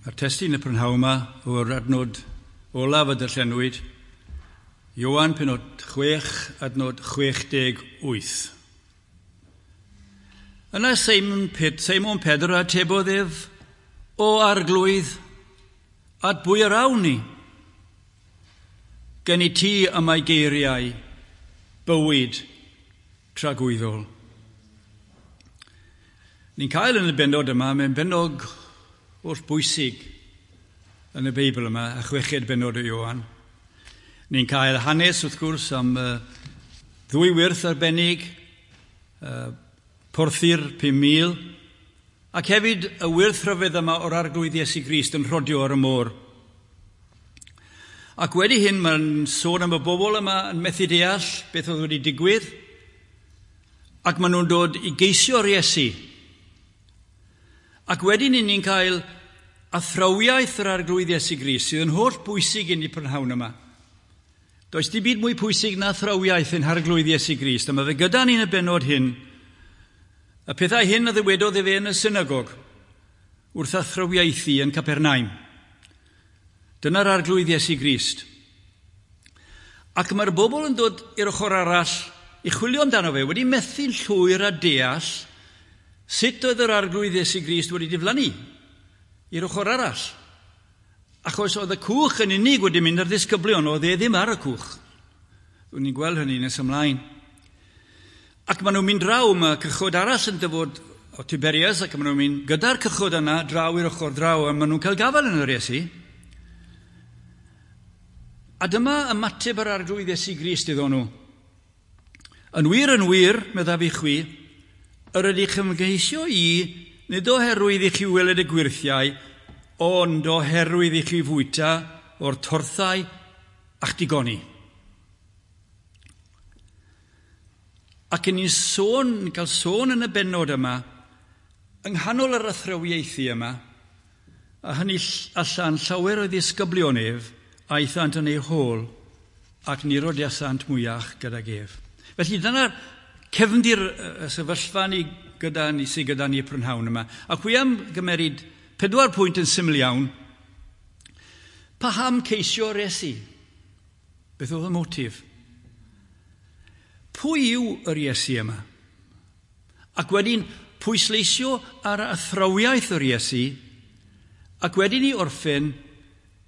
Mae'r testun y prynhawn yma o'r adnod olaf y darllenwyd, Ioan penod 6, adnod 68. Yna Simon, Ped, Simon Pedr atebodd ef, O arglwydd, at bwy yr awn ni? Gen i ti y mae geiriau, bywyd tragwyddol. Ni'n cael yn y bennod yma, mae'n bennod holl bwysig yn y Beibl yma, y chweched bennod o Ioan. Ni'n cael hanes, wrth gwrs, am ddwy wyrth arbennig, porthi'r 5,000, ac hefyd y wyrth rhyfedd yma o'r arglwydd Iesu Grist yn rhodio ar y môr. Ac wedi hyn, mae'n sôn am y bobl yma yn methu deall beth oedd wedi digwydd, ac maen nhw'n dod i geisio'r Iesu. Ac wedyn ni'n cael athrawiaeth yr arglwydd Iesu Grist, sydd yn holl bwysig i ni prynhawn yma. Does dim byd mwy pwysig na athrawiaeth ein harglwydd Iesu Grist, a mae fe gyda ni'n y bennod hyn. Y pethau hyn a ddywedodd efe yn y synagog wrth athrawiaethu yn Capernaum. Dyna'r arglwydd Iesu Grist. Ac mae'r bobl yn dod i'r ochr arall i chwilio amdano fe, wedi methu'n llwyr a deall sut oedd yr arglwydd Iesu Grist wedi diflannu i'r ochr arall. Achos oedd y cwch yn unig wedi mynd ar ddisgyblion, oedd e ddim ar y cwch. Dwi'n ni'n gweld hynny nes ymlaen. Ac maen nhw'n mynd draw, mae cychod arall yn dyfod o Tiberias, ac maen nhw'n mynd gyda'r cychod yna draw i'r ochr draw, a maen nhw'n cael gafael yn yr Iesu. A dyma ymateb yr arglwydd Iesu Grist iddo nhw. Yn wir, yn wir, meddaf i chwi, yr ydych ymgeisio i, nid oherwydd i chi weled y gwyrthiau, ond oherwydd i chi fwyta o'r torthau a'ch digoni. Ac yn ni'n sôn, cael sôn yn y bennod yma, yng nghanol yr athrawiaethu yma, a hynny allan llawer o ddisgyblion ef, aethant yn ei hôl ac ni rodiasant mwyach gydag ef. Felly dyna'r cefndir y sefyllfa ni gyda ni sydd gyda ni y prynhawn yma. Ac wi am gymeryd 4 pwynt yn syml iawn. Paham ceisio'r Iesu? Beth oedd y motif? Pwy yw yr Iesu yma? Ac wedyn pwysleisio ar athrawiaeth yr Iesu, ac wedyn i orffen,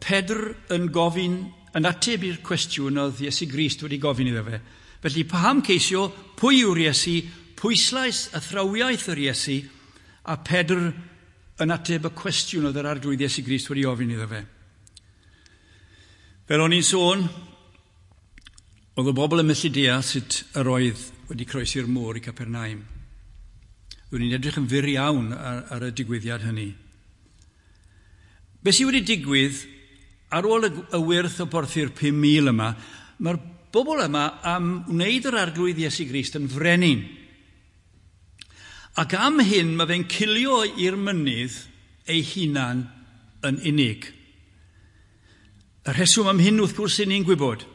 Pedr yn gofyn, yn ateb i'r cwestiwn oedd Iesu Grist wedi gofyn iddo fe. Felly paham ceisio, pwy yw'r Iesu, pwyslais athrawiaeth yr Iesu, a Pedr yn ateb y cwestiwn oedd yr arglwydd Iesu Grist wedi ofyn iddo fe. Fel o'n i'n sôn, oedd y bobl yn methu deall sut yr oedd wedi croesi'r môr i Capernaum. Roedd ni'n edrych yn fyr iawn ar y digwyddiad hynny. Be sydd wedi digwydd ar ôl y wyrth o borthi'r 5,000 yma, mae'r bobl yma am wneud yr arglwydd Iesu Grist yn frenin. Ac am hyn mae fe'n cilio i'r mynydd ei hunan yn unig. Y rheswm am hyn wrth gwrs i ni'n gwybod.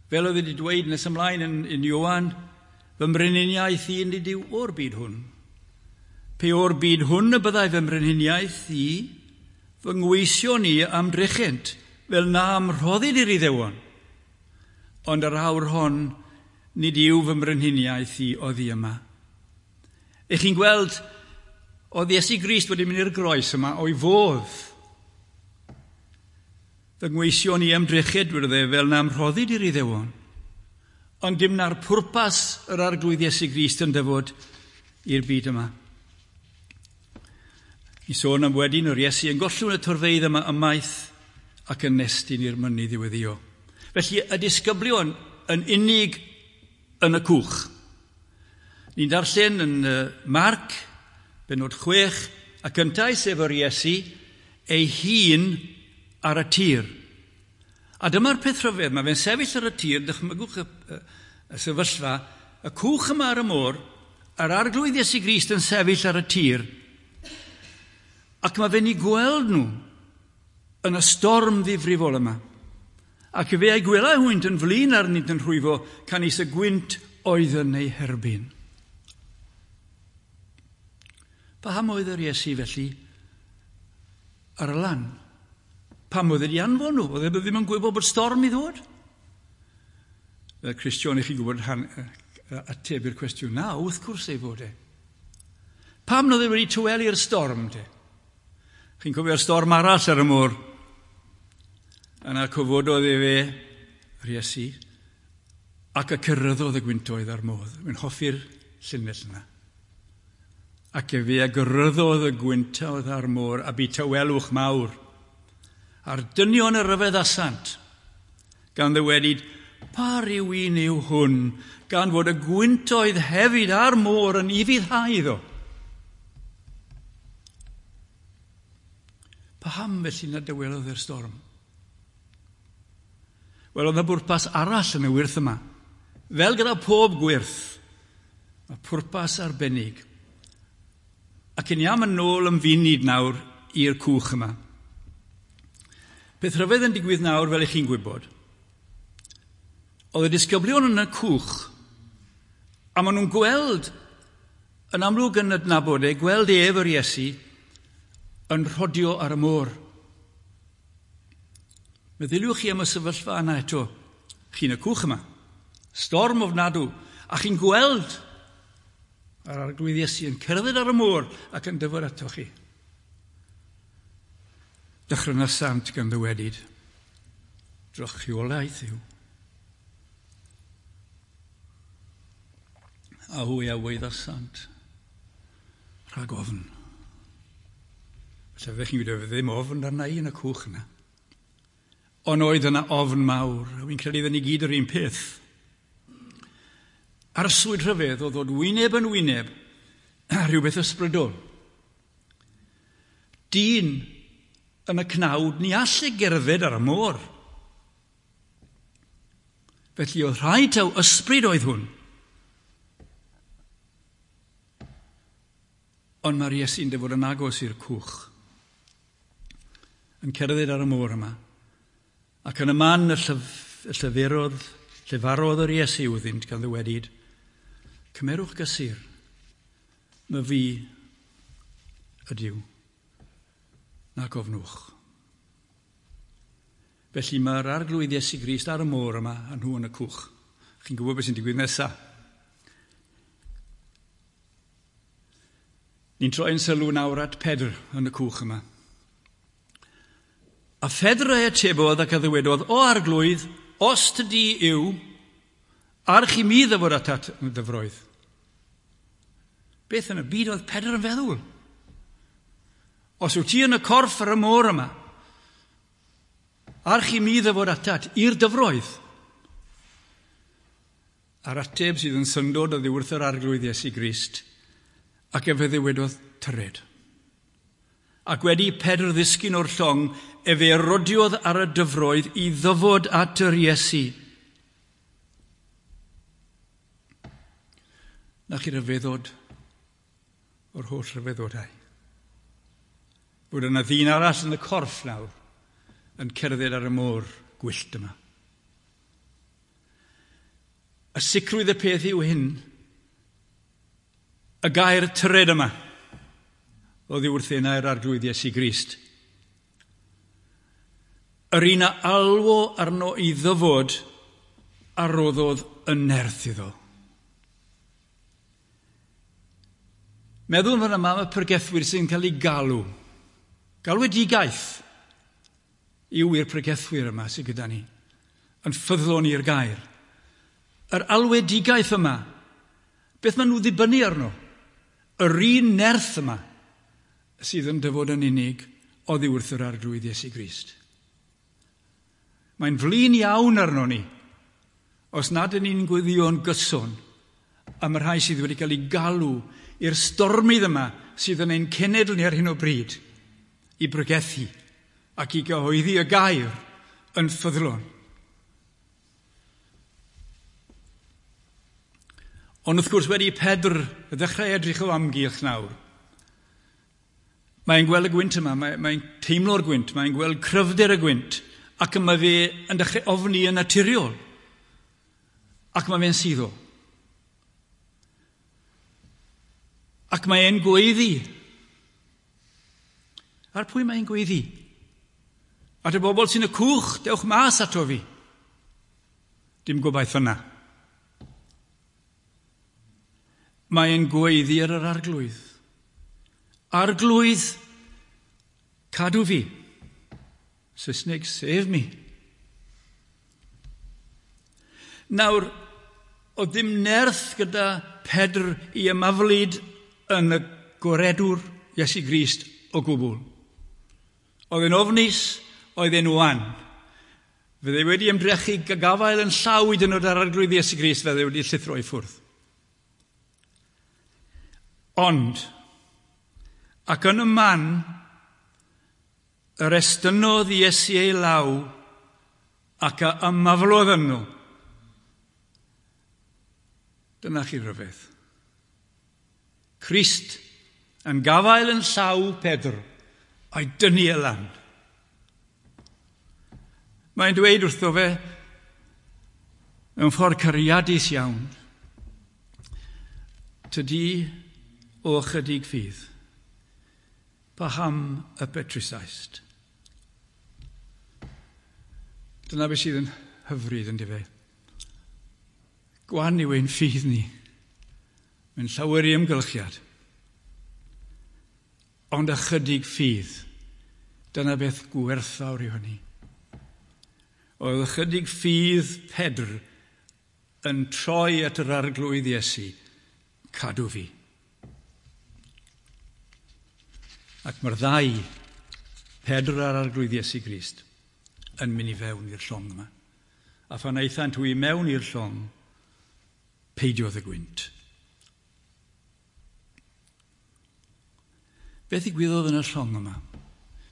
Fel oedd wedi dweud nes ymlaen yn Ioan, fy mrenhiniaeth i nid yw o'r byd hwn. Pe o'r byd hwn y byddai fy mrenhiniaeth i, fy ngweision i am drechent, fel na am rhoddid i'r Iddewon. Ond yr awr hon, nid yw fy mrenhiniaeth i oddi yma. Ych chi'n gweld, oedd Iesu Grist wedi mynd i'r groes yma o'i fodd. Fy ngweision i ymdrechyd, dwedodd e, fel na amrhoddid i'r Iddewon. Ond dim na'r pwrpas yr arglwydd Iesu Grist yn dyfod i'r byd yma. I sôn am wedyn yr Iesu yn gollwng y torfeydd yma ymaith ac yn nestyn i'r mynydd i weddio. Felly y disgyblion yn unig yn y cwch. Ni'n darllen yn Marc, bennod 6, ac yntau sef yr Iesu ei hun ar y tir. A dyma'r peth rhyfedd, mae fe'n sefyll ar y tir, dychmygwch y sefyllfa, y cwch yma ar y môr, a'r arglwydd Iesu Grist yn sefyll ar y tir, ac mae fe'n ei gweld nhw yn y storm ddifrifol yma. Ac fe a'i gwelai hwynt yn flin arnynt yn rhwyfo, canys y gwynt oedd yn ei herbyn. Paham oedd yr Iesu felly ar y lan? Pam oedd wedi anfon nhw? Oedd e ddim yn gwybod bod storm i ddod? Fel Cristion, i chi gwybod ateb i'r cwestiwn na, wrth gwrs ei fod e. Pam oedd e wedi tawelu storm te? Chi'n cofio'r storm arall ar y môr? Yna cyfododd e fe, yr Iesu, ac y cyrraeddodd y gwyntoedd ar môr. Mae'n hoffi'r llinell yna. Ac efe a gyrryddodd y gwyntoedd ar môr a bu tawelwch mawr. A'r dynion y ryfeddasant, gan ddywedyd, pa ryw un yw hwn, gan fod y gwyntoedd hefyd a'r môr yn ufuddhau iddo. Paham felly na dywelodd yr storm? Wel, oedd yna bwrpas arall yn y wyrth yma. Fel gyda pob gwyrth, mae pwrpas arbennig. Ac yn iawn yn ôl yn funud nawr i'r cwch yma. Peth rhyfedd yn digwydd nawr, fel ych chi'n gwybod, oedd y disgyblion yn y cwch, a maen nhw'n gweld, yn amlwg yn adnabod e, gweld ef yr Iesu, yn rhodio ar y môr. Meddyliwch chi am y sefyllfa yna eto. Chi'n y cwch yma. Storm ofnadw. A chi'n gweld yr arglwydd Iesu yn cerdded ar y môr ac yn dyfod ato chi. Dychrynasant gan ddywedyd, drychiolaeth yw. A hwy a weiddasant rhag ofn. Felly fyddech chi'n gwybod, ddim ofn arna i yn y cwch yna. Ond oedd yna ofn mawr, a fi'n credu ni gyd yr un peth. Arswyd rhyfedd o ddod wyneb yn wyneb a rhywbeth ysbrydol. Dyn yn y cnawd ni all ei gerdded ar y môr. Felly oedd rhaid taw ysbryd oedd hwn. Ond mae'r Iesu'n dyfod yn agos i'r cwch, yn cerdded ar y môr yma. Ac yn y man y llefarodd yr Iesu wrthynt gan ddywedyd, cymerwch gysur, mae fi ydyw, nac ofnwch. Felly mae'r arglwydd Iesu Grist ar y môr yma a nhw yn y cwch. Chi'n gwybod beth sy'n digwydd nesaf. Ni'n troi'n sylw nawr at Pedr yn y cwch yma. A Phedr ei atebodd ac a ddywedodd, o arglwydd, os tydi yw, arch i mi ddyfod atat yn y dyfroedd. Beth yn y byd oedd Pedr yn feddwl? Os wyt ti yn y corff ar y môr yma, arch i mi ddyfod atat i'r dyfroedd. A'r ateb sydd yn syndod oddi wrth yr arglwydd Iesu Grist, ac efe ddywedodd, tyred. Ac wedi Pedr ddisgyn o'r llong, efe rodiodd ar y dyfroedd i ddyfod at yr Iesu. Na chi ryfeddod o'r holl ryfeddodau. Bod yna ddyn arall yn y corff nawr yn cerdded ar y môr gwyllt yma. Y sicrwydd y peth yw hyn, y gair tyred yma, oddi wrth enau'r arglwydd Iesu Grist. Yr un a alwo arno i ddyfod a roddodd y nerth iddo. Meddwl fan yma am y pregethwyr sy'n cael ei galw. Galwedigaeth yw i'r pregethwyr yma sydd gyda ni, yn ffyddlon i'r gair. Yr alwedigaeth yma, beth maen nhw ddibynnu arno? Yr un nerth yma sydd yn dyfod yn unig oddi wrth yr arglwydd Iesu Grist. Mae'n flin iawn arno ni, os nad ydyn ni'n gweddïo'n gyson am y rhai sydd wedi cael ei galw i'r stormydd yma sydd yn ein cenedl ni ar hyn o bryd, i bregethu ac i gyhoeddi y gair yn ffyddlon. Ond wrth gwrs wedi Pedr ddechrau edrych o amgylch nawr, mae'n gweld y gwynt yma, mae'n teimlo'r gwynt, mae'n gweld cryfder y gwynt, ac mae fe yn dechrau ofni yn naturiol, ac mae fe'n suddo. Ac mae e'n gweiddi. Ar pwy mae'n gweiddi? At y bobl sy'n y cwch, dewch mas ato fi. Dim gobaith yna. Mae'n gweiddi ar yr arglwydd. Arglwydd, cadw fi. Saesneg, save me. Nawr, oedd ddim nerth gyda Pedr i ymaflyd yn y gwaredwr Iesu Grist o gwbl. Oedd e'n ofnus, oedd e'n wan. Fydde wedi ymdrechu gafael yn llaw i dynod ar arglwydd Iesu Grist, fydde wedi llithro i ffwrdd. Ond, ac yn y man, yr estynnodd Iesu ei law ac a ymaflodd yno. Dyna chi rhyfedd. Crist yn gafael yn llaw Pedr a'i dynnu e lan. Mae'n dweud wrtho fe mewn ffordd cariadus iawn, tydi o chydig ffydd, paham y petrusaist? Dyna beth sydd yn hyfryd yn fe. Gwan yw ein ffydd ni. Mae'n llawer i ymgylchiad. Ond ychydig ffydd. Dyna beth gwerthfawr yw hynny. Oedd ychydig ffydd Pedr yn troi at yr arglwydd Iesu, cadw fi. Ac mae'r ddau, Pedr a'r arglwydd Iesu Grist, yn mynd i fewn i'r llong yma. A phan aethant hwy mewn i'r llong, peidiodd y gwynt. Beth ddigwyddodd yn y llong yma?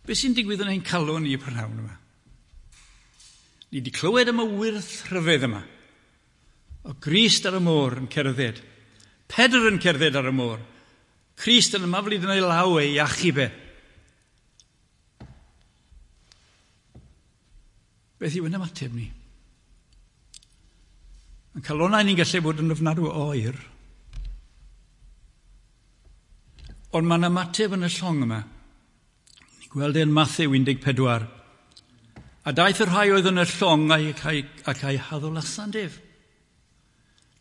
Beth sy'n digwydd yn ein calon ni y prynhawn yma? Ni wedi clywed am y wyrth rhyfedd yma. O Grist ar y môr yn cerdded. Pedr yn cerdded ar y môr. Crist yn ymaflyd yn ei law ei achub e. Beth yw yn ymateb ni? Yn calonau ni'n gallu bod yn ofnadw o oer. Ond mae'n ymateb yn y llong yma. Ni'n gweld e'n Mathew 14. A daeth y rhai oedd yn y llong ac a'i haddolasant ef.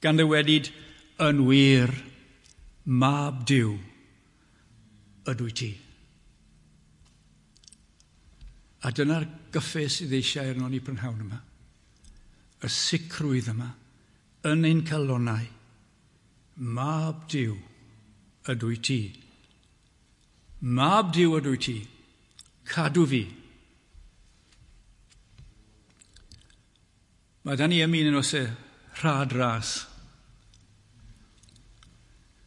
Gan ddywedyd, yn wir, mab Duw ydw i ti. A dyna'r gyffe sydd eisiau arno ni prynhawn yma. Y sicrwydd yma, yn ein calonau, mab Duw ydw i ti. Mab Duw ydw i ti. Cadw fi. Mae da ni ym un oes e rhad ras.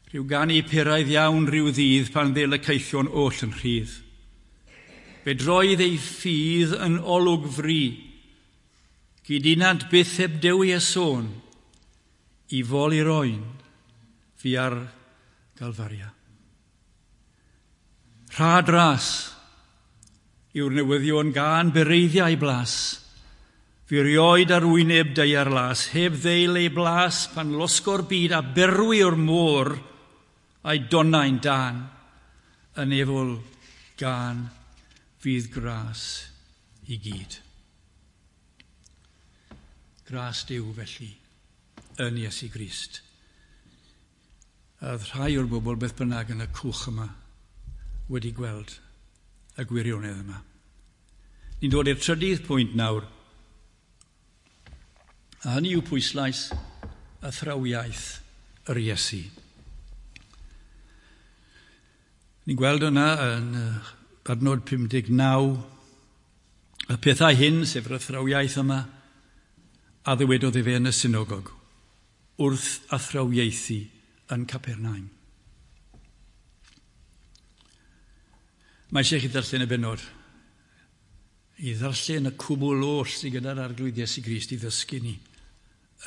Rhyw ganu peraidd iawn rhyw ddydd pan ddel y caethion oll yn rhydd. Fe droedd ei ffydd yn olwg fri, gydunant byth heb dewi a sôn, i fol i'r oen, fi ar Galfaria. Rhad ras yw'r newyddion gan bereiddiau blas, fi rioed ar wyneb daear las, heb ddeil ei blas pan losgo'r byd a berwi o'r môr a'i donnau'n dan, yn efol gan fydd gras i gyd. Gras Duw felly yn Iesu Grist. A oedd rhai o'r bobl beth bynnag yn y cwch yma wedi gweld y gwirionedd yma. Ni'n dod i'r trydydd pwynt nawr. A hynny yw pwyslais athrawiaeth yr Iesu. Ni'n gweld yna yn adnod 59, y pethau hyn, sef yr athrawiaeth yma, a ddywedodd efe yn y synagog, wrth athrawiaethu yn Capernaum. Mae eisiau chi ddarllen y bennod, i ddarllen y cwbl oll sydd gyda'r arglwydd Iesu Grist i ddysgu ni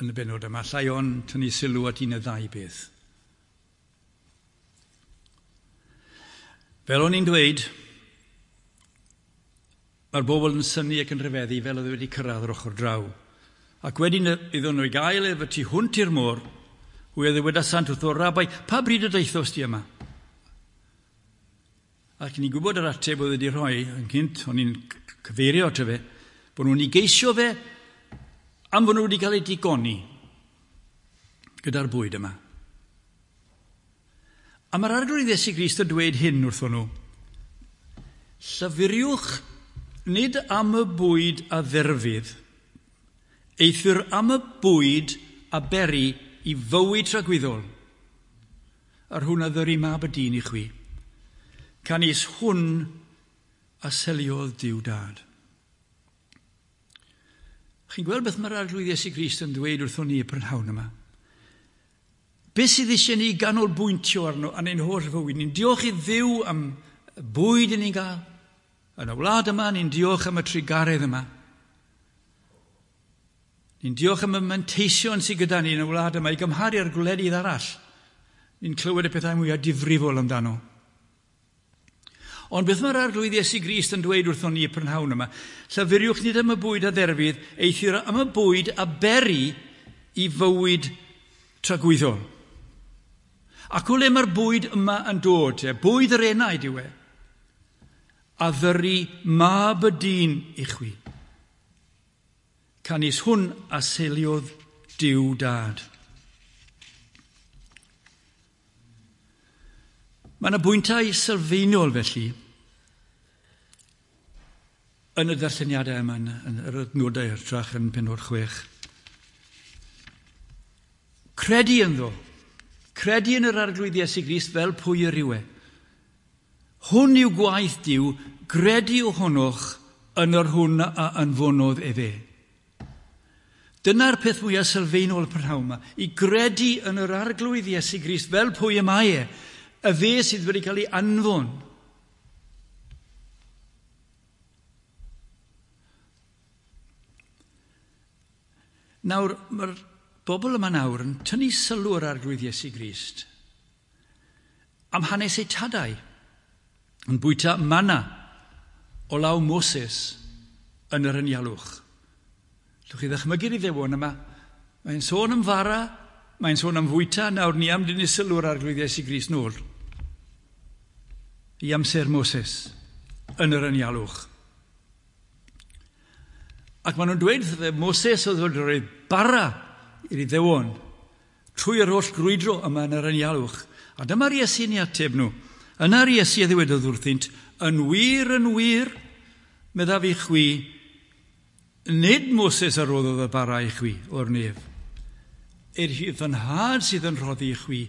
yn y bennod yma. Allai ond tynnu sylw at un y ddau beth. Fel o'n i'n dweud, mae'r bobl yn synnu ac yn rhyfeddu fel oedd wedi cyrraedd yr ochr draw. Ac wedyn iddyn nhw i gael ef y tu hwnt i'r môr, hwy a ddywedasant wrtho, Rabai, pa bryd y daethost di yma? Ac ni'n gwybod yr ateb oedd wedi rhoi yn cynt, o'n i'n cyfeirio ato fe, bod nhw'n ei geisio fe am fod nhw wedi cael eu digoni gyda'r bwyd yma. A mae'r Arglwydd Iesu Grist yn dweud hyn wrthon nhw. Llyfuriwch nid am y bwyd a dderfydd, eithr am y bwyd a beri i fywyd tragwyddol, yr hwn a ddyry mab y dyn i chwi. Canys hwn a seliodd Duw Dad. Chi'n gweld beth mae'r Arglwydd Iesu Grist yn dweud wrthon ni y prynhawn yma? Beth sydd eisiau ni ganolbwyntio arno yn ein holl fywyd? Ni'n diolch i Dduw am y bwyd i ni'n gael. Yn y wlad yma, ni'n diolch am y trugaredd yma. Ni'n diolch am y manteision sydd gyda ni yn y wlad yma i gymharu â'r gwledydd arall. Ni'n clywed y pethau mwyaf difrifol amdano. Ond beth mae'r Arglwydd Iesu Grist yn dweud wrthon ni y prynhawn yma? Llyfuriwch nid am y bwyd a dderfydd, eithr am y bwyd a beri i fywyd tragwyddol. Ac o le mae'r bwyd yma yn dod? Te? Bwyd yr enaid yw e. A ddyry mab y dyn i chwi. Canys hwn a seiliodd Duw Dad. Mae yna bwyntau sylfaenol felly yn y darlleniadau yma, yn yr adnodau hytrach yn pennod 6. Credu ynddo. Credu yn yr Arglwydd Iesu Grist fel pwy yr yw e. Hwn yw gwaith Duw, gredu ohonoch yn yr hwn a anfonodd efe. Dyna'r peth mwyaf sylfaenol y prynhawn yma, i gredu yn yr Arglwydd Iesu Grist fel pwy y mae e, y fe sydd wedi cael ei anfon. Nawr, mae'r bobl yma nawr yn tynnu sylw yr Arglwydd Iesu Grist am hanes eu tadau, yn bwyta manna o law Moses yn yr anialwch. Llwch chi ddychmygu'r Iddewon yma, mae'n sôn am fara, mae'n sôn am fwyta, nawr ni am dynnu sylw'r Arglwydd Iesu Grist nôl i amser Moses yn yr anialwch. Ac maen nhw'n dweud wrtho fe, Moses oedd wedi rhoi bara i'r Iddewon trwy yr holl grwydro yma yn yr anialwch. A dyma'r Iesu'n ei ateb nhw. Yna'r Iesu a ddywedodd wrthynt, yn wir, yn wir, meddaf i chwi, nid Moses a roddodd y bara i chwi o'r nef. Er fy nhad sydd yn rhoddi i chwi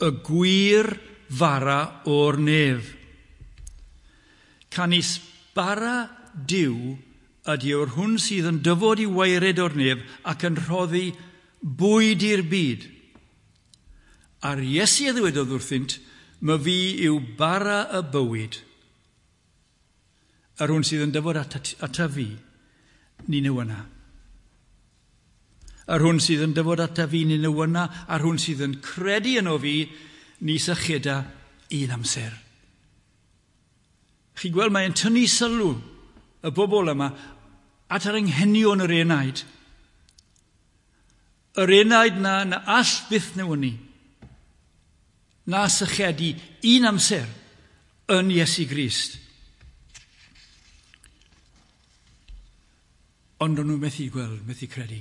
y gwir fara o'r nef. Canys bara Duw ydy o'r hwn sydd yn dyfod i waered o'r nef ac yn rhoddi bwyd i'r byd. A'r Iesu a ddywedodd wrthynt, my fi yw bara y bywyd. Yr hwn sydd yn dyfod ata fi, ni newyna. Yr hwn sydd yn dyfod ata fi, ni newyna, a'r hwn sydd yn credu yno fi, ni sycheda un amser. Chi'n gweld, mae'n tynnu sylw y bobl yma at yr anghenion yr enaid. Yr enaid na all byth newynu, na sychedu un amser yn Iesu Grist. Ond o'n nhw methu gweld, methu credu.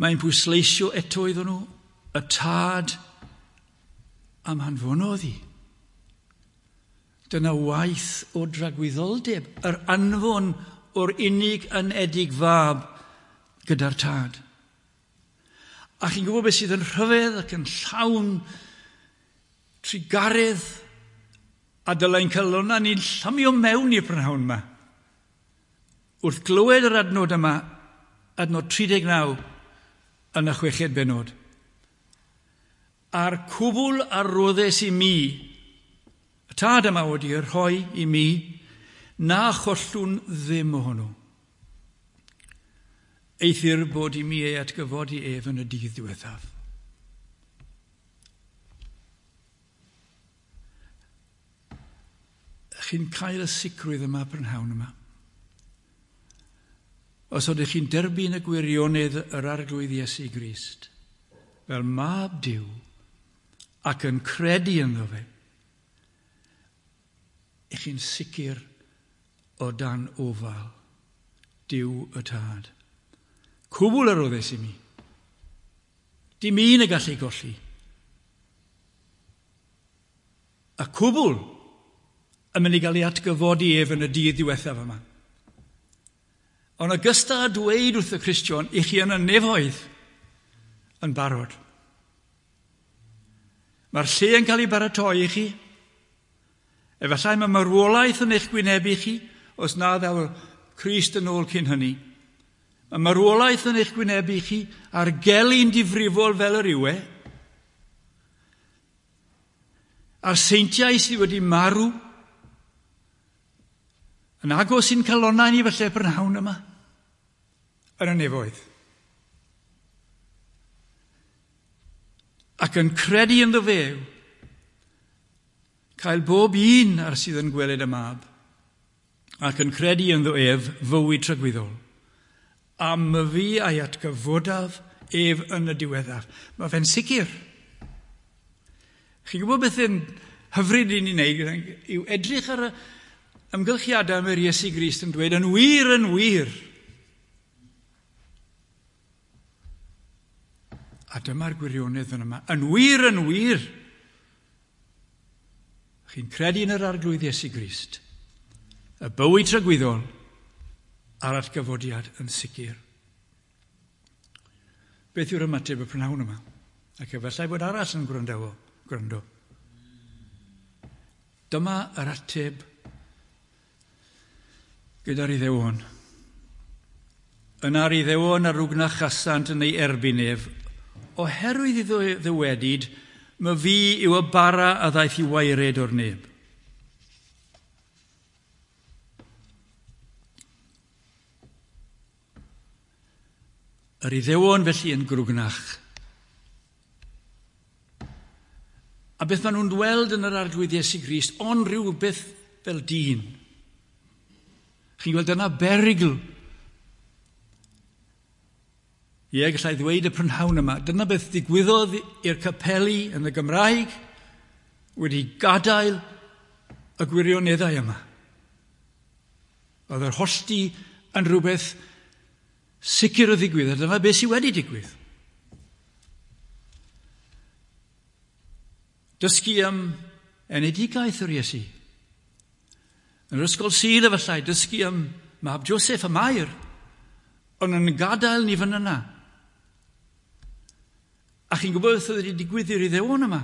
Mae'n pwysleisio eto iddyn nhw y tad am hanfonodd hi. Dyna waith o dragwyddoldeb, yr anfon o'r unig anedig fab gyda'r tad. A chi'n gwybod beth sydd yn rhyfedd ac yn llawn trugaredd a dylai'n calonnau ni'n llamio mewn i'r prynhawn yma. Wrth glywed yr adnod yma, adnod 39 yn y chweched bennod. A'r cwbl a roddes i mi, y tad yma wedi rhoi i mi, na chollwn ddim ohono. Eithr bod i mi ei atgyfodi ef yn y dydd diwethaf. Chi'n cael y sicrwydd yma prynhawn yma. Os ydych chi'n derbyn y gwirionedd yr Arglwydd Iesu Grist fel mab Duw ac yn credu ynddo fe, I chi'n sicr o dan ofal Duw y Tad. Cwbl yr roddes i mi. Dim un y gallu golli. A cwbl yn mynd i gael ei atgyfodi ef yn y dydd diwethaf yma. Ond ogystal â dweud wrth y Cristion, i chi yn y nefoedd yn barod. Mae'r lle yn cael ei baratoi i chi. Efallai mae marwolaeth yn eich gwynebu chi, os na ddaw Crist yn ôl cyn hynny. Mae marwolaeth yn eich gwynebu chi a'r gelyn difrifol fel yr yw e. A'r seintiau sydd wedi marw yn agos i'n calonnau ni falle prynhawn yma yn y nefoedd. Ac yn credu ynddo fe cael bob un ar sydd yn gweled y mab ac yn credu ynddo ef fywyd tragwyddol. A myfi a'i atgyfodaf ef yn y diweddaf. Mae fe'n sicr. Chi'n gwybod beth yn hyfryd i ni wneud yw edrych ar y amgylchiadau mae'r Iesu Grist yn dweud yn wir, yn wir. A dyma'r gwirionedd fan yma. Yn wir, yn wir. Chi'n credu yn yr Arglwydd Iesu Grist. Y bywyd tragwyddol a'r atgyfodiad yn sicr. Beth yw'r ymateb y prynhawn yma? Ac efallai bod arall yn gwrando. Gwrando. Dyma yr ateb gyda'r Iddewon. Yna'r Iddewon a rwgnachasant yn ei erbyn ef, oherwydd iddo ddywedyd, my fi yw y bara a ddaeth i waered o'r neb. Yr Iddewon felly yn grwgnach. A beth maen nhw'n weld yn yr Arglwydd Iesu Grist, ond rhywbeth fel dyn. Chi'n gweld dyna berygl. Ie, gallai ddweud y prynhawn yma, dyna beth ddigwyddodd i'r capeli yn y Gymraeg wedi gadael y gwirioneddau yma. Oedd yr hollti yn rhywbeth sicr o ddigwydd, a dyma beth sydd wedi digwydd. Dysgu am enedigaeth yr Iesu. Yn yr ysgol Sul efallai, dysgu am mab Joseph a Mair, ond yn gadael ni fan yna. A chi'n gwybod beth oedd wedi digwydd i'r Iddewon yma?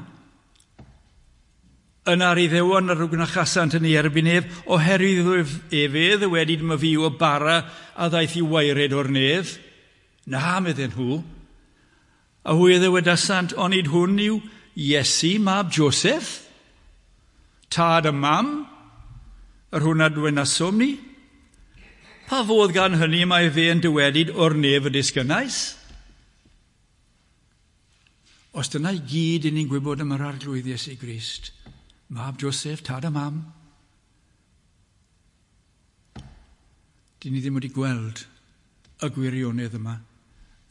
Yna'r Iddewon a rwgnachasant yn ei erbyn ef, oherwydd ef e ddywedyd ma fi o bara a ddaeth i waered o'r nef. Na, medden nhw. A hwy a ddywedasant, onid hwn yw Iesu, mab Joseph, tad a mam, yr hwn a dwenasom ni? Pa fodd gan hynny mae fe yn dywedyd o'r nef y disgynnais? Os dyna i gyd i ni'n gwybod am yr Arglwydd Iesu Grist, mab Joseph, tad a mam, dyn ni ddim wedi gweld y gwirionedd yma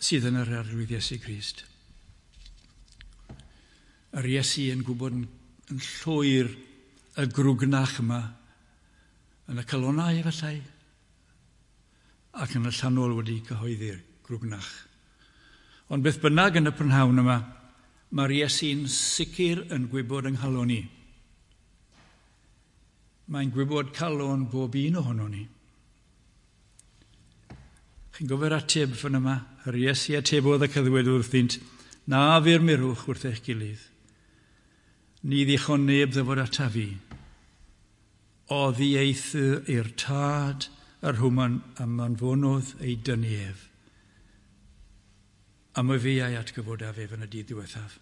sydd yn yr Arglwydd Iesu Grist. Yr Iesu yn gwybod yn, yn llwyr y grwgnach yma yn y calonau efallai ac yn y llanol wedi cyhoeddi'r grwgnach. Ond beth bynnag yn y prynhawn yma, mae'r Iesu'n sicr yn gwybod yng nghalon ni. Mae'n gwybod calon bob un ohono ni. Chi'n gofio'r ateb fan yma? Yr Iesu atebodd ac a ddweud wrthynt, na fu'r mirwch wrth eich gilydd. Ni ddichon neb ddyfod ata fi. Oddi eithr i'r tad yr hwman a manfonodd ei dynnu ef. A my fi a'i atgyfodaf ef yn y dydd diwethaf.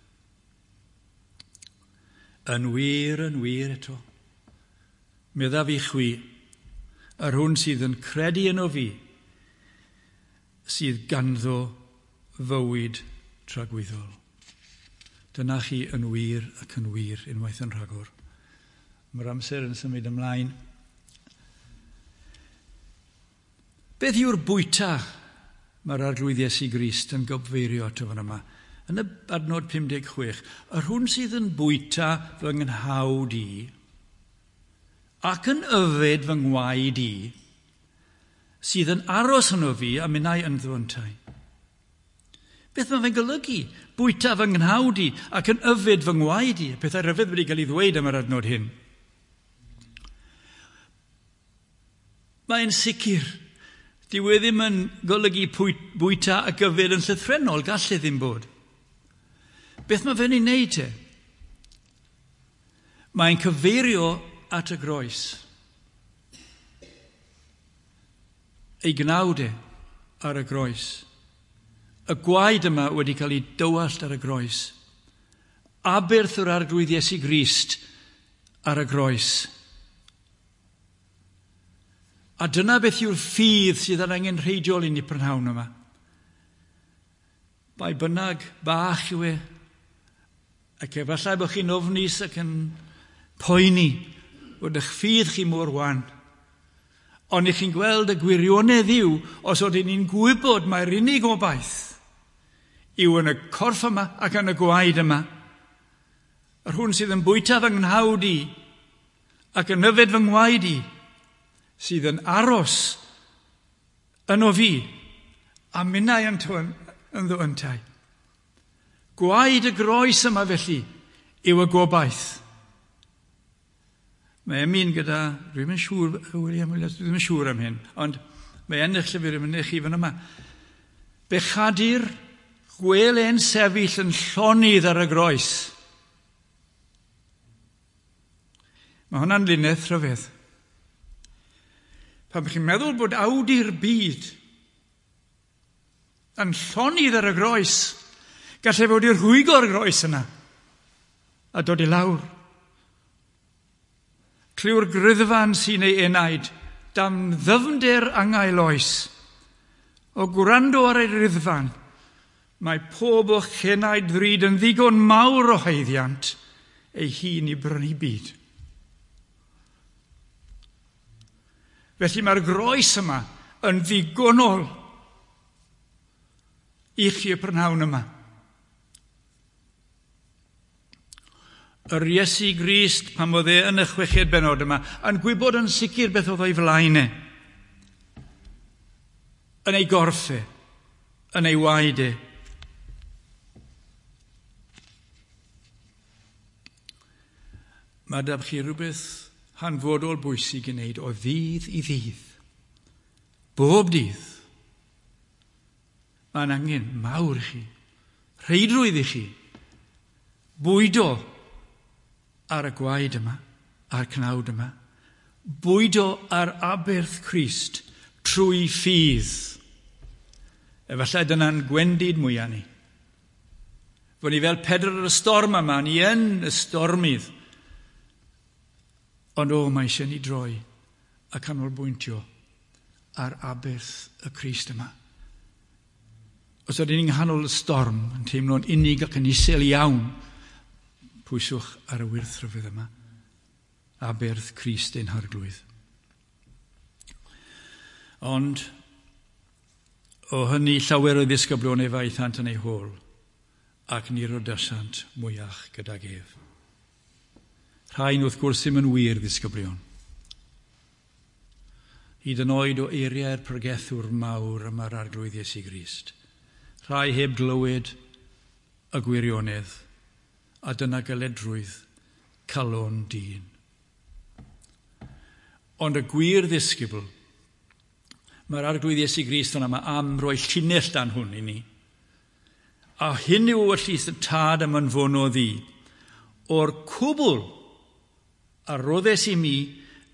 Yn wir, yn wir eto. Meddaf i chwi, yr hwn sydd yn credu yno fi, sydd ganddo fywyd tragwyddol. Dyna chi yn wir ac yn wir unwaith yn rhagor. Mae'r amser yn symud ymlaen. Beth yw'r bwyta mae'r Arglwydd Iesu Grist yn gobfeirio ato fan yma? Yn y adnod 56, yr hwn sydd yn bwyta fy nghnawd i ac yn yfed fy ngwaed i, sydd yn aros yno fi a minnau ynddo yntau. Beth mae fe'n golygu? Bwyta fy nghnawd i ac yn yfed fy ngwaed i. Pethau rhyfedd wedi cael ei ddweud am yr adnod hyn. Mae'n sicr. Dyw e ddim yn golygu bwyta ac yfed yn llythrennol, gall e ddim bod. Beth mae fe'n ei wneud te? Mae'n cyfeirio at y groes. Ei gnawd e ar y groes. Y gwaed yma wedi cael ei dywallt ar y groes. Aberth yr Arglwydd Iesu Grist ar y groes. A dyna beth yw'r ffydd sydd yn angenrheidiol i ni prynhawn yma. Bai bynnag bach yw e, ac efallai bod chi'n ofnus ac yn poeni bod eich ffydd chi mor wan. Ond i chi'n gweld y gwirionedd yw, os oedden ni'n gwybod mai'r unig obaith yw yn y corff yma ac yn y gwaed yma. Yr hwn sydd yn bwyta fy nghnawd i ac yn yfed fy ngwaed i, sydd yn aros yno fi a minnau ynddo yntau. Gwaed y groes yma felly yw y gobaith. Mae emyn gyda, dwi'n yn siŵr, William Williams, dwi ddim yn siŵr am hyn, ond mae yn eich llyfr yn eich chi fan yma. Bechadur gwel e'n sefyll yn llonydd ar y groes. Mae hwnna'n linell rhyfedd. Pan chi'n meddwl bod awdur byd yn llonydd ar y groes, gallai fod i'r rhwygo'r groes yna a dod i lawr. Clyw'r gryddfan sy'n ei enaid, dan ddyfnder angau oes. O gwrando ar ei ryddfan, mae pob o'ch chenaid ddrud yn ddigon mawr o haeddiant ei hun i brynu byd. Felly mae'r groes yma yn ddigonol i chi y prynhawn yma. Yr Iesu Grist, pan oedd e yn y chweched benod yma, yn gwybod yn sicr beth oedd o'i flaen e. Yn ei gorff e, yn ei waed e. Mae da chi rhywbeth hanfodol bwysig i wneud o ddydd i ddydd. Bob dydd. Mae'n angen mawr i chi, rheidrwydd i chi, bwydo ar y gwaed yma, a'r cnawd yma, bwydo ar aberth Crist trwy ffydd. Efallai dyna'n gwendid mwyaf ni. Fod ni fel Pedr ar y storm yma, ni yn y stormydd. Ond o, mae eisiau ni droi a canolbwyntio ar aberth y Crist yma. Os ydyn ni'n nghanol y storm, yn teimlo'n unig ac yn isel iawn, pwyswch ar y wyrth rhyfedd yma. Aberth Crist ein Harglwydd. Ond o hynny llawer o ddisgyblion ef aethant yn ei hôl, ac ni rodasant mwyach gydag ef. Rhain wrth gwrs ddim yn wir ddisgyblion. Hyd yn oed o eiriau'r pregethwr mawr yma'r Arglwydd Iesu Grist. Rhai heb glywed y gwirionedd, a dyna galedrwydd calon dyn. Ond y gwir ddisgybl, mae'r Arglwydd Iesu Grist yna yma am roi llinell dan hwn i ni. A hyn yw ewyllys y tad am anfonodd i. O'r cwbl a roddes i mi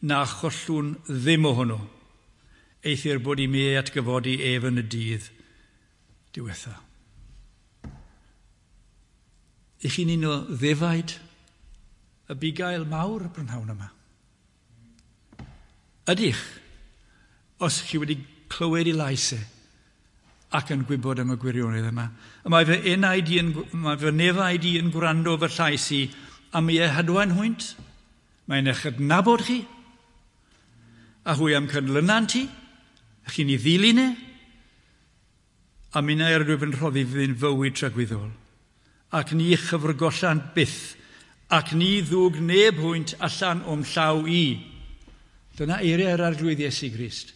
na chollwn ddim ohono. Eithr bod i mi ei atgyfodi ef yn y dydd diwetha. I chi'n un o ddefaid y bugail mawr y prynhawn yma? Ydych, os chi wedi clywed ei lais e ac yn gwybod am y gwirionedd yma. Y mae fy enaid i yn, mae fy nefaid i yn gwrando fy llais i am ei hadwaen hwynt. Mae'n eich adnabod chi, a hwy am cynlynant i, a chi'n ei ddilyn e, a minnau yr ydwyf yn rhoddi fydd fywyd tragwyddol, ac ni chyfrgollant byth, ac ni ddwg neb hwynt allan o'm llaw i. Dyna eiriau yr Arglwydd Iesu Grist.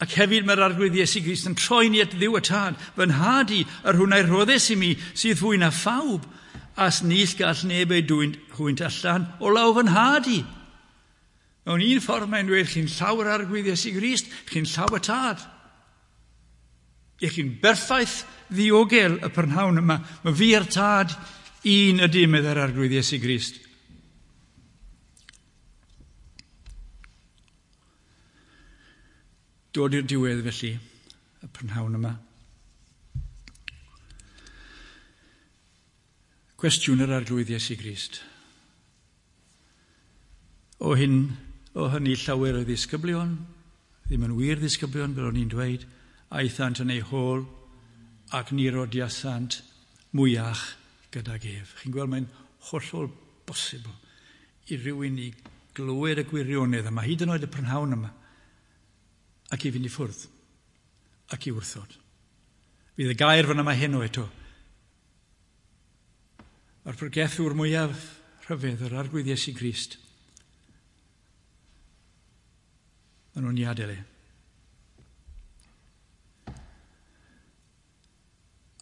Ac hefyd mae'r Arglwydd Iesu Grist yn troi ni at Dduw y Tad. Fy nhad i, yr hwn a'i rhoddes i mi, sydd fwy na phawb, as nis gall neb ei dwyn hwynt allan o law fy nhad i. Mewn un ffordd mae'n dweud, chi'n llaw yr Arglwydd Iesu Grist, chi'n llaw y Tad. I chi'n berffaith ddiogel y prynhawn yma. Mae fi a'r Tad un ydy, meddai'r Arglwydd Iesu Grist. Dod i'r diwedd felly, y prynhawn yma. Cwestiwn yr Arglwydd Iesu Grist. O hyn, o hynny llawer o ddisgyblion, ddim yn wir ddisgyblion fel o'n i'n dweud, aethant yn eu hôl ac ni rodiasant mwyach gydag ef. Chi'n gweld mae'n hollol bosibl i rywun i glywed y gwirionedd yma, hyd yn oed y prynhawn yma, ac i fynd i ffwrdd, ac i wrthod. Fydd y gair fan yma heno eto. Mae'r pregethwr mwyaf rhyfedd, yr Arglwydd Iesu Grist, maen nhw'n i adael e.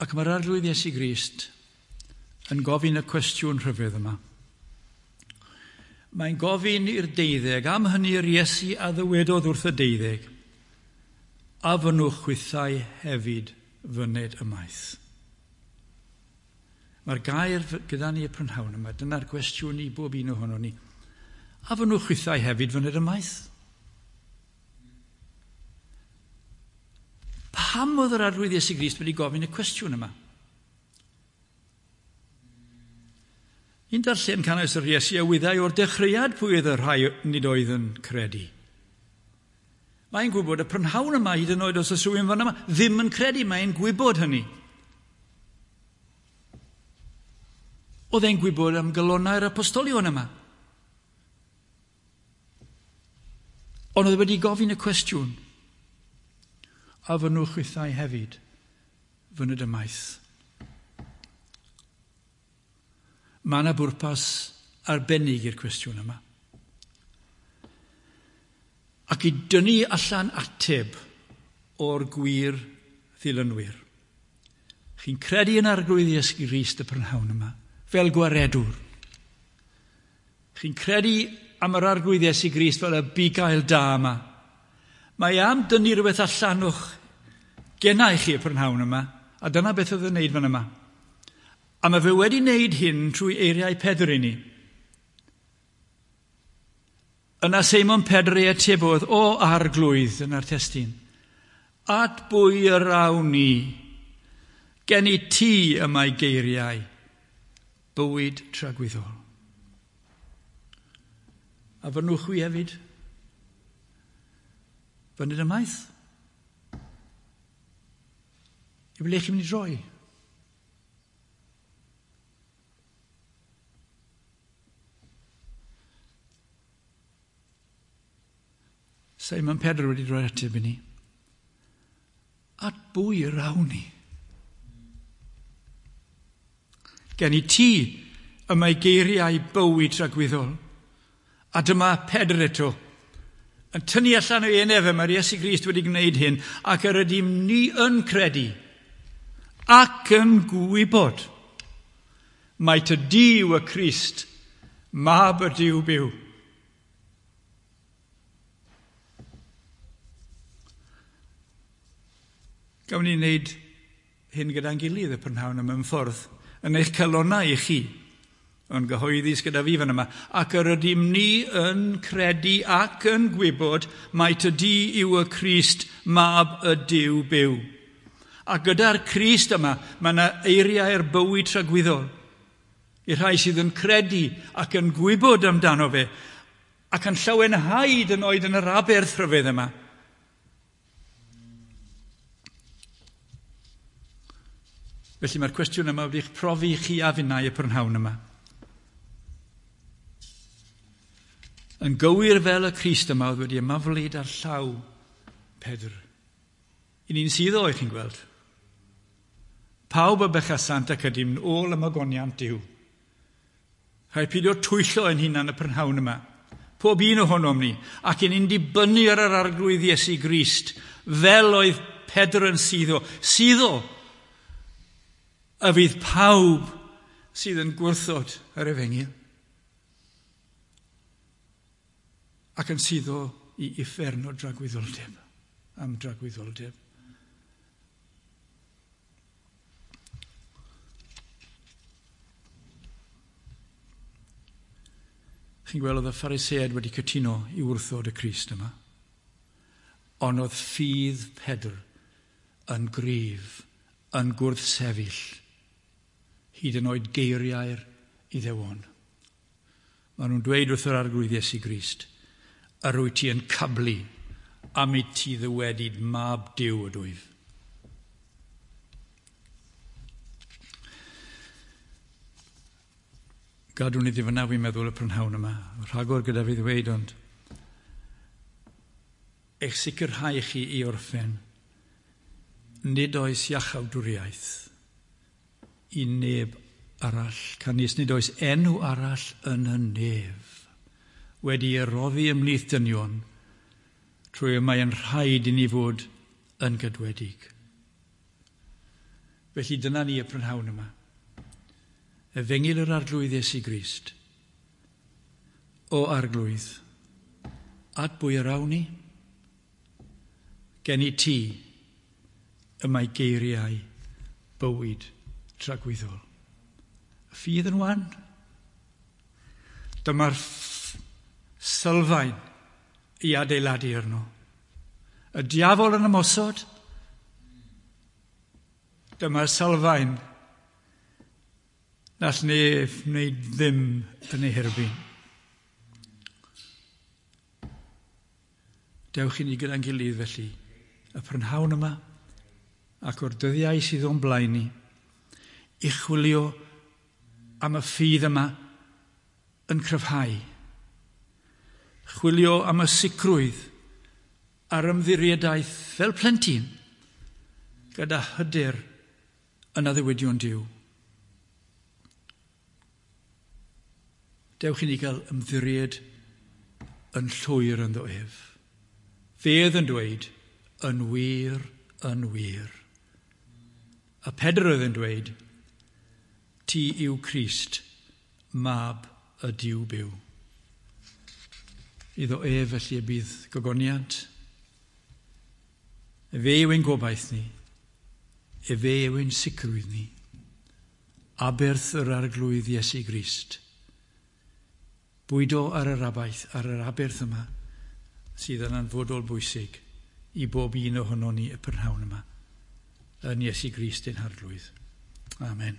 Ac mae'r Arglwydd Iesu Grist yn gofyn y cwestiwn rhyfedd yma. Mae'n gofyn i'r deuddeg, am hynny'r Iesu a ddywedodd wrth y deuddeg, a fynnwch chwithau hefyd fyned ymaith. Mae'r gair gyda ni y prynhawn yma, dyna'r cwestiwn i bob un ohono ni. A fynnwch chwithau hefyd fyned ymaith? Pam oedd yr Arglwydd Iesu Grist wedi gofyn y cwestiwn yma? Ni'n darllen canys yr Iesu a wyddai o'r dechreuad pwy oedd y rhai nid oedd yn credu. Mae'n gwybod y prynhawn yma, hyd yn oed os oes rhywun fan yma, ddim yn credu, mae'n gwybod hynny. Oedd e'n gwybod am galonnau'r apostolion yma. Ond oedd wedi gofyn y cwestiwn, a fynnwch chwithau hefyd fyned ymaith. Mae yna bwrpas arbennig i'r cwestiwn yma. Ac i dynnu allan ateb o'r gwir ddilynwyr. Chi'n credu yn Arglwydd Iesu Grist y prynhawn yma, fel gwaredwr. Chi'n credu am yr Arglwydd Iesu Grist fel y bugail da yma. Mae am dynnu rhywbeth allan o'ch genau chi y prynhawn yma, a dyna beth oedd yn wneud fan yma. A mae fe wedi wneud hyn trwy eiriau Pedr i ni. Yna Seimon Pedr ei atebodd, o Arglwydd, yna'r testun, at bwy yr awn ni? Gen i ti y mae geiriau, bywyd tragwyddol. A fynnwch chwi hefyd? Fyned ymaith? I ble chi'n mynd i droi? Simon Pedr wedi rhoi ateb i ni. At bwy yr awn ni? Gen i ti y mae geiriau bywyd tragwyddol. A dyma Pedr eto, yn tynnu allan o'i enef, mae'r Iesu Grist wedi gwneud hyn, ac yr ydym ni yn credu ac yn gwybod mai ty di yw y Crist, mab y Duw byw. Gawn ni wneud hyn gyda'n gilydd y prynhawn yma mewn ffordd, yn eich calonnau i chi, yn gyhoeddus gyda fi fan yma, ac yr ydym ni yn credu ac yn gwybod mai ty di yw y Crist, mab y Duw byw. A gyda'r Crist yma, mae yna eiriau'r bywyd tragwyddol. I'r rhai sydd yn credu ac yn gwybod amdano fe, ac yn llawenhau hyd yn oed yn yr aberth rhyfedd yma. Felly mae'r cwestiwn yma wedi'ch profi chi a finnau y prynhawn yma. Yn gywir fel y Crist yma oedd wedi ymaflyd ar llaw Pedr. I ni'n sydd o, chi'n gweld. Pawb y bechasant ac ydym ôl ymogoniant Duw. Rhaid pidio twyllo ein hunan y prynhawn yma. Pob un ohonom ni, ac yn ni'n dibynnu ar yr Arglwydd Iesu Grist, fel oedd Pedr yn suddo. Suddo y fydd pawb sydd yn gwrthod yr efengyl. Ac yn suddo i uffern o dragwyddoldeb, am dragwyddoldeb. Chi'n gweld oedd y Phariseaid wedi cytuno i wrthod y Crist yma. Ond oedd ffydd Pedr yn gryf, yn gwrthsefyll, hyd yn oed geiriau'r Iddewon. Maen nhw'n dweud wrth yr Arglwydd Iesu Grist, yr wyt ti yn cablu am i ti ddywedyd mab Duw ydwyf. Gadwn iddi fyna, fi'n meddwl, y prynhawn yma. Rhagor gyda fi ddweud, ond eich sicrhau chi i orffen, nid oes iachawdwriaeth i neb arall, canys nid oes enw arall yn y nef wedi ei roddi ymhlith dynion, trwy y mae yn rhaid i ni fod yn gydwedig. Felly dyna ni y prynhawn yma. Efengyl yr Arglwydd Iesu Grist. O Arglwydd, at bwy yr awn ni? Gen i ti y mae geiriau bywyd tragwyddol. Y ffydd yn wan. Dyma'r sylfaen i adeiladu arno. Y diafol yn ymosod. Dyma'r sylfaen nall neb wneud ddim yn ei herbyn. Dewch i ni gyda'n gilydd felly, y prynhawn yma, ac o'r dyddiau sydd o'n blaen ni, i chwilio am y ffydd yma yn cryfhau. Chwilio am y sicrwydd a'r ymddiriedaeth fel plentyn gyda hyder yn addewidion Duw. Dewch i ni gael ymddiried yn llwyr ynddo ef. Fe oedd yn dweud, yn wir, yn wir. A Pedr oedd yn dweud, ti yw Crist, mab y Duw byw. Iddo ef felly y bydd gogoniant. Efe yw ein gobaith ni. Efe yw ein sicrwydd ni. Aberth yr Arglwydd Iesu Grist. Bwydo ar yr abaeth, ar yr aberth yma, sydd yn anfodol bwysig i bob un ohonon ni y prynhawn yma, yn Iesu Grist ein Harglwydd. Amen.